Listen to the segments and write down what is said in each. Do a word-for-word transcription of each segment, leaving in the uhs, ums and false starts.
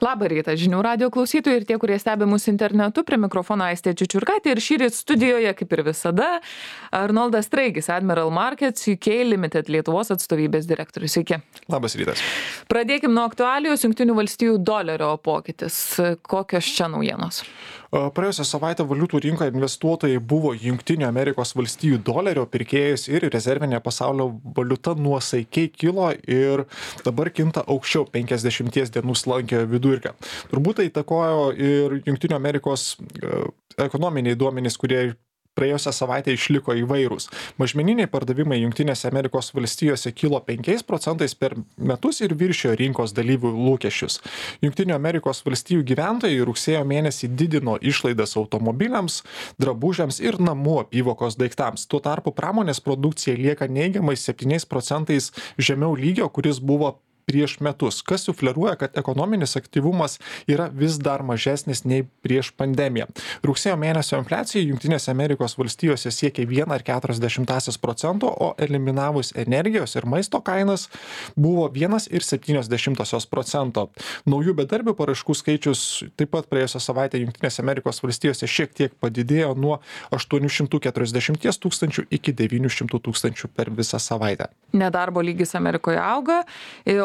Labą rytą žinių radijo klausytojai ir tie, kurie stebi mus internetu, prie mikrofono Aistė Čičiurkaitė ir šįryt studijoje, kaip ir visada, Arnoldas Straigis, Admiral Markets U K Limited Lietuvos atstovybės direktorius. Sveiki. Labas rytas. Pradėkim nuo aktualijos. Jungtinių valstijų dolerio pokytis. Kokios čia naujienos? Praėjusią savaitę valiutų rinkoje investuotojai buvo Jungtinių Amerikos valstijų dolerio pirkėjas ir rezervinė pasaulio valiuta nuosaikiai kilo ir dabar kinta aukščiau penkiasdešimties dienų slankiojo vidurkio. Turbūt tai įtakojo ir Jungtinių Amerikos ekonominiai duomenys, kurie praėjusią savaitę išliko įvairūs. Mažmeniniai pardavimai Jungtinėse Amerikos valstijose kilo penkiais procentais per metus ir viršijo rinkos dalyvių lūkesčius. Jungtinių Amerikos valstijų gyventojai rugsėjo mėnesį didino išlaidas automobiliams, drabužiams ir namų apyvokos daiktams. Tuo tarpu pramonės produkcija lieka neigiamai septyniais procentais žemiau lygio, kuris buvo prieš metus, kas sufleruoja, kad ekonominis aktyvumas yra vis dar mažesnis nei prieš pandemiją. Rugsėjo mėnesio infliacija Jungtinėse Amerikos valstijose siekia vieną ir keturias dešimtąsias procento, o eliminavus energijos ir maisto kainas buvo vienas ir septynios dešimtosios procento. Naujų bedarbių paraiškų skaičius taip pat praėjusią savaitę Jungtinėse Amerikos valstijose šiek tiek padidėjo nuo aštuonių šimtų keturiasdešimties tūkstančių iki devynių šimtų tūkstančių per visą savaitę. Nedarbo lygis Amerikoje auga.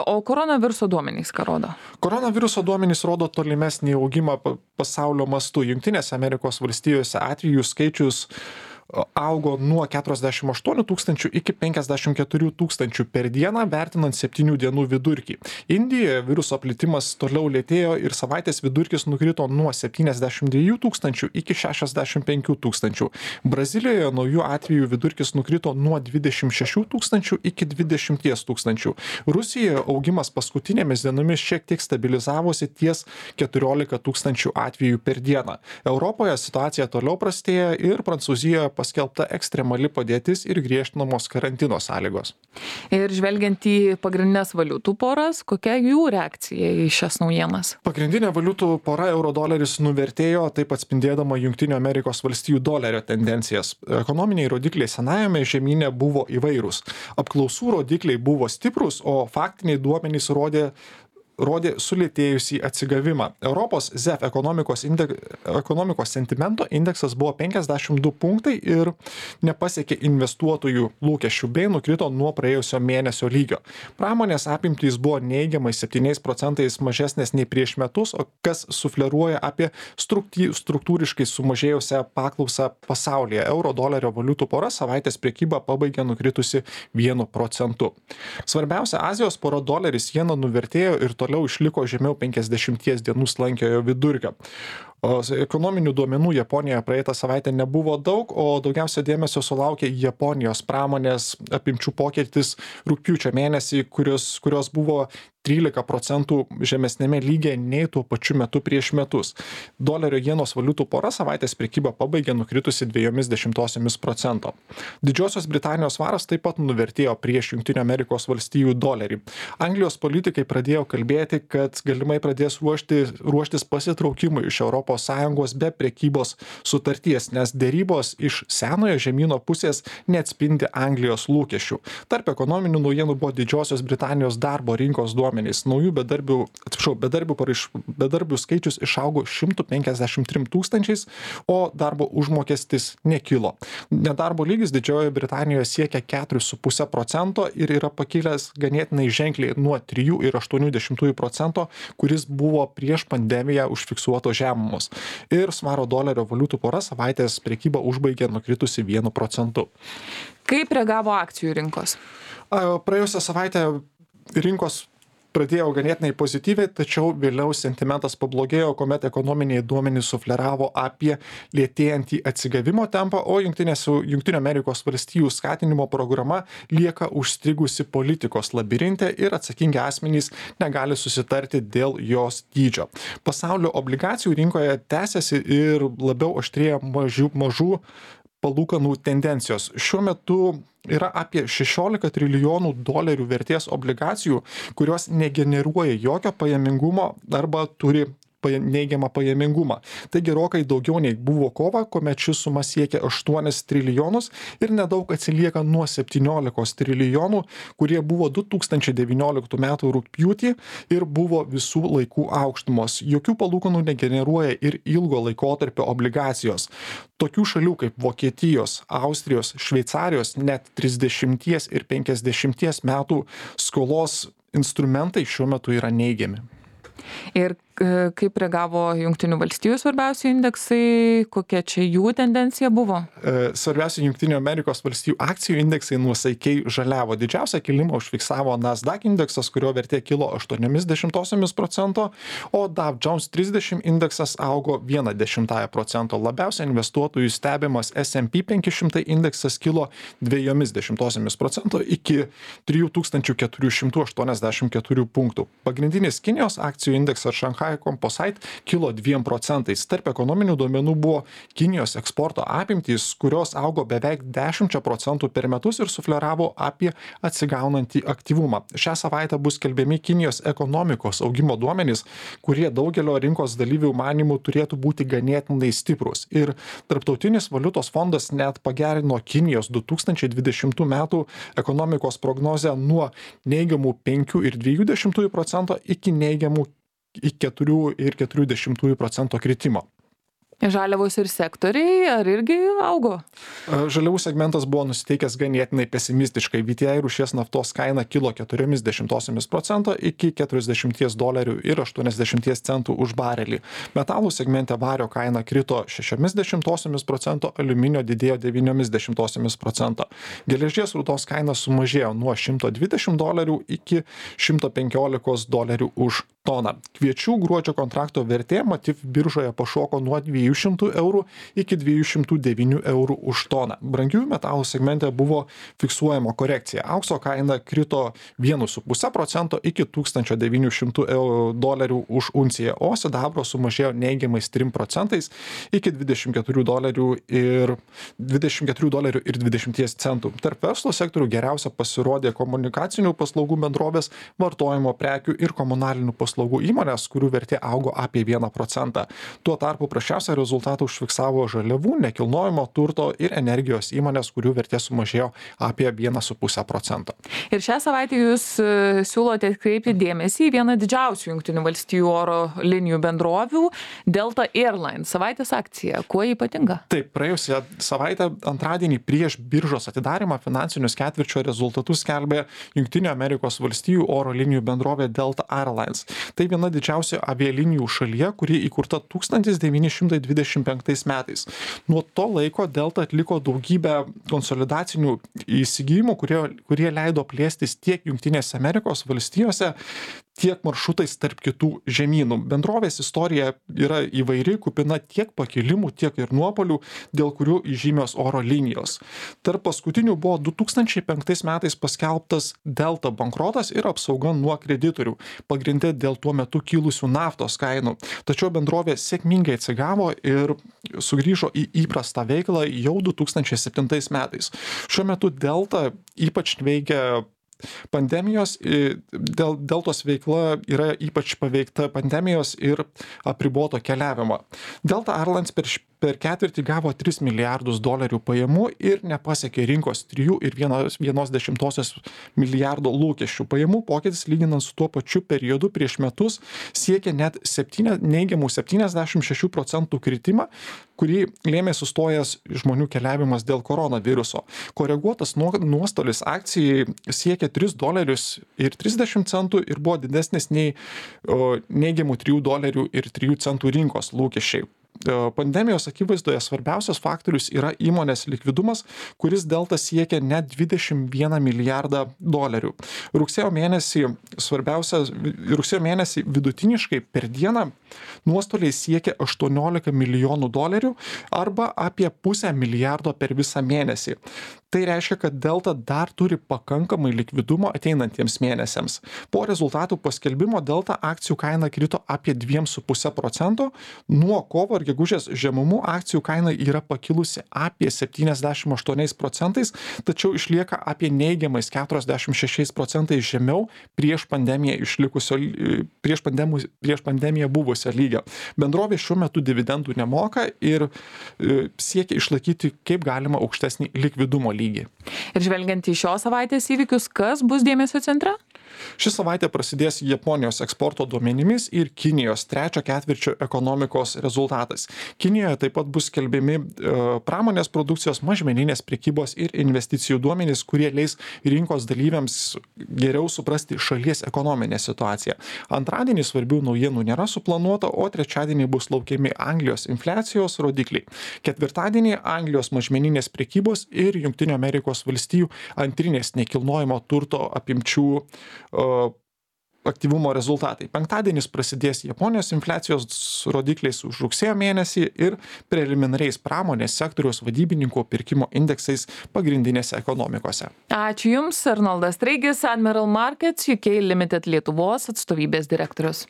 O koronaviruso duomenys ką rodo? Koronaviruso duomenys rodo tolimesnį augimą pasaulio mastu. Jungtinėse Amerikos valstijose atvejų skaičius augo nuo keturiasdešimt aštuonių tūkstančių iki penkiasdešimt keturių tūkstančių per dieną, vertinant septynių dienų vidurkį. Indijoje viruso plitimas toliau lėtėjo ir savaitės vidurkis nukrito nuo septyniasdešimt dviejų tūkstančių iki šešiasdešimt penkių tūkstančių. Brazilijoje naujų atvejų vidurkis nukrito nuo dvidešimt šešių tūkstančių iki dvidešimties tūkstančių. Rusijoje augimas paskutinėmis dienomis šiek tiek stabilizavosi ties keturiolika tūkstančių atvejų per dieną. Europoje situacija toliau prastėja ir Prancūzijoje paskelbta ekstremali padėtis ir griežtinamos karantino sąlygos. Ir žvelgiant į pagrindinės valiutų poras, kokia jų reakcija į šias naujienas? Pagrindinė valiutų pora euro doleris nuvertėjo, taip atspindėdama Jungtinių Amerikos valstijų dolerio tendencijas. Ekonominiai rodikliai senajame žemyne buvo įvairūs. Apklausų rodikliai buvo stiprus, o faktiniai duomenys rodė rodė sulėtėjusį atsigavimą. Europos Z E F ekonomikos, indek, ekonomikos sentimento indeksas buvo penkiasdešimt du punktai ir nepasiekė investuotojų lūkesčių bei nukrito nuo praėjusio mėnesio lygio. Pramonės apimtys buvo neigiamai septyniais procentais mažesnės nei prieš metus, o kas sufleruoja apie struktūriškai sumažėjusią paklausą pasaulyje. Euro dolerio valiutų pora savaitės priekybą pabaigė nukritusi vienu procentu. Svarbiausia, Azijos pora doleris jena nuvertėjo ir toliau išliko žemiau penkiasdešimties dienų slankiojo vidurkio. O ekonominių duomenų Japonijoje praeitą savaitę nebuvo daug, o daugiausia dėmesio sulaukė Japonijos pramonės apimčių pokytis rugpjūčio mėnesį, kurios, kurios buvo trylika procentų žemesnėme lygyje nei tuo pačiu metu prieš metus. Dolerio jenos valiutų pora savaitės prekybą pabaigė nukritusi dviejomis dešimtosiomis procento. Didžiosios Britanijos svaras taip pat nuvertėjo prieš Jungtinių Amerikos valstijų dolerį. Anglijos politikai pradėjo kalbėti, kad galimai pradės ruošti, ruoštis pasitraukimui iš Europos Sąjungos be prekybos sutarties, nes dėrybos iš senojo žemyno pusės neatspindi Anglijos lūkesčių. Tarp ekonominių naujienų buvo Didžiosios Britanijos darbo rinkos duomenys. Naujų bedarbių, atsiprašau, bedarbių, paraiš, bedarbių skaičius išaugo šimtu penkiasdešimt trim tūkstančiais, o darbo užmokestis nekilo. Nedarbo lygis Didžiojoje Britanijoje siekia keturis su puse procento ir yra pakilęs ganėtinai ženkliai nuo trijų ir aštuonių dešimtųjų procento, kuris buvo prieš pandemiją užfiksuoto žemumos. Ir svaro dolerio valiutų pora savaitės prekybą užbaigė nukritusi vienu procentu. Kaip reagavo akcijų rinkos? Praėjusią savaitę rinkos pradėjo ganėtinai pozityviai, tačiau vėliau sentimentas pablogėjo, kuomet ekonominiai duomenys sufleravo apie lėtėjantį atsigavimo tempą, o Jungtinių Amerikos valstijų skatinimo programa lieka užstrigusi politikos labirinte ir atsakingi asmenys negali susitarti dėl jos dydžio. Pasaulio obligacijų rinkoje tęsiasi ir labiau aštrėja mažų, mažų palūkanų tendencijos. Šiuo metu yra apie šešiolika trilijonų dolerių vertės obligacijų, kurios negeneruoja jokio pajamingumo arba turi neigiamą pajamingumą. Tai gerokai daugiau nei buvo kova, kuomet ši suma siekia aštuonis trilijonus ir nedaug atsilieka nuo septyniolikos trilijonų, kurie buvo du tūkstančiai devynioliktų metų rugpjūtį ir buvo visų laikų aukštumos. Jokių palūkanų negeneruoja ir ilgo laikotarpio obligacijos. Tokių šalių kaip Vokietijos, Austrijos, Šveicarijos net trisdešimties ir penkiasdešimties metų skolos instrumentai šiuo metu yra neigiami. Ir kaip reagavo Jungtinių valstijų svarbiausi indeksai, kokia čia jų tendencija buvo? Svarbiausi Jungtinių Amerikos valstijų akcijų indeksai nuosaikiai žaliavo. Didžiausią kilimą užfiksavo Nasdaq indeksas, kurio vertė kilo aštuoniais dešimtosiomis procento, o Dow Jones trisdešimt indeksas augo vieną dešimtąją procento. Labiausiai investuotojų stebimas S and P penki šimtai indeksas kilo dviejomis dešimtosiomis procento iki trijų tūkstančių keturių šimtų aštuoniasdešimt keturių punktų. Pagrindinis Kinijos akcijų indeksas Shanghai Composite kilo dviem procentais. Tarp ekonominių duomenų buvo Kinijos eksporto apimtys, kurios augo beveik dešimčia procentų per metus ir sufleravo apie atsigaunantį aktyvumą. Šią savaitę bus skelbiami Kinijos ekonomikos augimo duomenys, kurie daugelio rinkos dalyvių manymų turėtų būti ganėtinai stiprus. Ir Tarptautinis valiutos fondas net pagerino Kinijos du tūkstančiai dvidešimtų metų ekonomikos prognozę nuo neigiamų penkių ir dviejų dešimtųjų procento iki neigiamų iki keturių ir keturių dešimtųjų procento kritimo. Žaliavos ir sektoriai, ar irgi augo? Žaliavų segmentas buvo nusiteikęs ganėtinai pesimistiškai. V T I rūšies naftos kaina kilo keturiomis dešimtosiomis procento iki keturiasdešimties dolerių ir aštuoniasdešimties centų už barelį. Metalų segmente vario kaina krito šešiomis dešimtosiomis procento, aliuminio didėjo devyniomis dešimtosiomis procento. Geležies rūdos kaina sumažėjo nuo šimto dvidešimt dolerių iki šimto penkiolikos dolerių už toną. Kviečių gruodžio kontrakto vertė Matif biržoje pašoko nuo dviejų šimtų eurų iki dviejų šimtų devynių eurų už toną. Brangiųjų metalų segmente buvo fiksuojama korekcija. Aukso kaina krito vienu su puse procento iki tūkstančio devynių šimtų dolerių už unciją, o sidabro sumažėjo neigiamais trim procentais iki dvidešimt keturių dolerių ir dvidešimt keturių dolerių ir dvidešimties centų. Tarp verslo sektorių geriausia pasirodė komunikacinių paslaugų bendrovės, vartojimo prekių ir komunalinių paslaugų įmonės, kurių vertė augo apie vieną procentą. Tuo tarpu prasčiausią rezultatą užfiksavo žaliavų, nekilnojamo turto ir energijos įmonės, kurių vertė sumažėjo apie vieną su puse procento. Ir šią savaitę jūs siūlote atkreipti dėmesį į vieną didžiausių Jungtinių valstijų oro linijų bendrovių, Delta Airlines savaitės akcija. Kuo ypatinga? Taip, praėjusią savaitę antradienį prieš biržos atidarimą finansinius ketvirčio rezultatus skelbė Jungtinių Amerikos valstijų oro linijų bendrovė Delta Airlines. Tai viena didžiausių avialinijų šalyje, kuri įkurta tūkstantis devyni šimtai dvidešimt penktais metais. Nuo to laiko Delta atliko daugybę konsolidacinių įsigijimų, kurie, kurie leido plėstis tiek Jungtinėse Amerikos valstijose, tiek maršrutais tarp kitų žemynų. Bendrovės istorija yra įvairi, kupina tiek pakilimų, tiek ir nuopolių, dėl kurių įžymios oro linijos. Tarp paskutinių buvo du tūkstančiai penktais metais paskelbtas Delta bankrotas ir apsauga nuo kreditorių, pagrinde dėl tuo metu kilusių naftos kainų. Tačiau bendrovė sėkmingai atsigavo ir sugrįžo į įprastą veiklą jau du tūkstančiai septintais metais. Šiuo metu Delta ypač veikia pandemijos, dėl Deltos veikla yra ypač paveikta pandemijos ir apriboto keliavimo. Delta Airlines per, per ketvirtį gavo tris milijardus dolerių pajamų ir nepasiekė rinkos trijų ir vienos dešimtosios milijardo lūkesčių. Pajamų pokytis lyginant su tuo pačiu periodu prieš metus siekia net septyni, neigiamų septyniasdešimt šešių procentų kritimą, kurį lėmė sustojęs žmonių keliavimas dėl koronaviruso. Koreguotas nuostolis akcijai siekia tris dolerius ir trisdešimt centų ir buvo didesnis nei o, neigiamų trijų dolerių ir trijų centų rinkos lūkesčiai. Pandemijos akivaizdoje svarbiausias faktorius yra įmonės likvidumas, kuris Delta siekia net dvidešimt vieną milijardą dolerių. Rugsėjo mėnesį, svarbiausia, rugsėjo mėnesį vidutiniškai per dieną nuostoliai siekia aštuoniolika milijonų dolerių arba apie pusę milijardo per visą mėnesį. Tai reiškia, kad Delta dar turi pakankamai likvidumo ateinantiems mėnesiams. Po rezultatų paskelbimo Delta akcijų kaina krito apie dviem su puse procento. Nuo kovo ir gegužės žemumų akcijų kaina yra pakilusi apie septyniasdešimt aštuoniais procentais, tačiau išlieka apie neigiamais keturiasdešimt šešiais procentais žemiau prieš pandemiją išlikusio, prieš pandemiją, prieš pandemiją buvusio lygio. Bendrovė šiuo metu dividendų nemoka ir siekia išlaikyti kaip galima aukštesnį likvidumo lygį. Ir žvelgiant į šios savaitės įvykius, kas bus dėmesio centre? Ši savaitė prasidės Japonijos eksporto duomenimis ir Kinijos trečio ketvirčio ekonomikos rezultatais. Kinijoje taip pat bus skelbiami pramonės produkcijos, mažmeninės prekybos ir investicijų duomenys, kurie leis rinkos dalyviams geriau suprasti šalies ekonominę situaciją. Antradienį svarbių naujienų nėra suplanuota, o trečiadienį bus laukiami Anglijos infliacijos rodikliai. Ketvirtadienį Anglijos mažmeninės prekybos ir Jungtinių Amerikos valstijų antrinės nekilnojamo turto apimčių aktyvumo rezultatai. Penktadienis prasidės Japonijos infliacijos rodikliais už rugsėjo mėnesį ir preliminariais pramonės sektoriaus vadybininkų pirkimo indeksais pagrindinėse ekonomikose. Ačiū Jums, Arnoldas Straigis, Admiral Markets U K Limited Lietuvos atstovybės direktorius.